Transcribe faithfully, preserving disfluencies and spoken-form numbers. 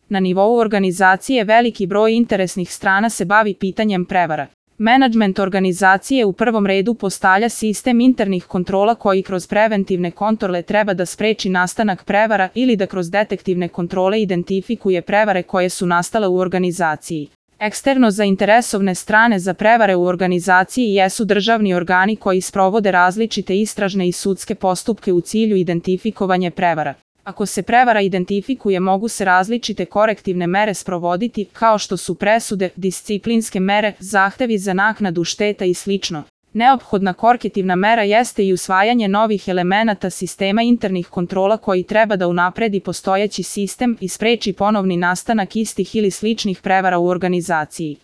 Na nivou organizacije veliki broj interesnih strana se bavi pitanjem prevara. Menadžment organizacije u prvom redu postavlja sistem internih kontrola koji kroz preventivne kontrole treba da spreči nastanak prevara ili da kroz detektivne kontrole identifikuje prevare koje su nastale u organizaciji. Eksterno zainteresovane strane za prevare u organizaciji jesu državni organi koji sprovode različite istražne i sudske postupke u cilju identifikovanja prevara. Ako se prevara identifikuje, mogu se različite korektivne mere sprovoditi, kao što su presude, disciplinske mere, zahtevi za naknadu šteta i slično. Neophodna korektivna mera jeste i usvajanje novih elemenata sistema internih kontrola koji treba da unapredi postojeći sistem i spreči ponovni nastanak istih ili sličnih prevara u organizaciji.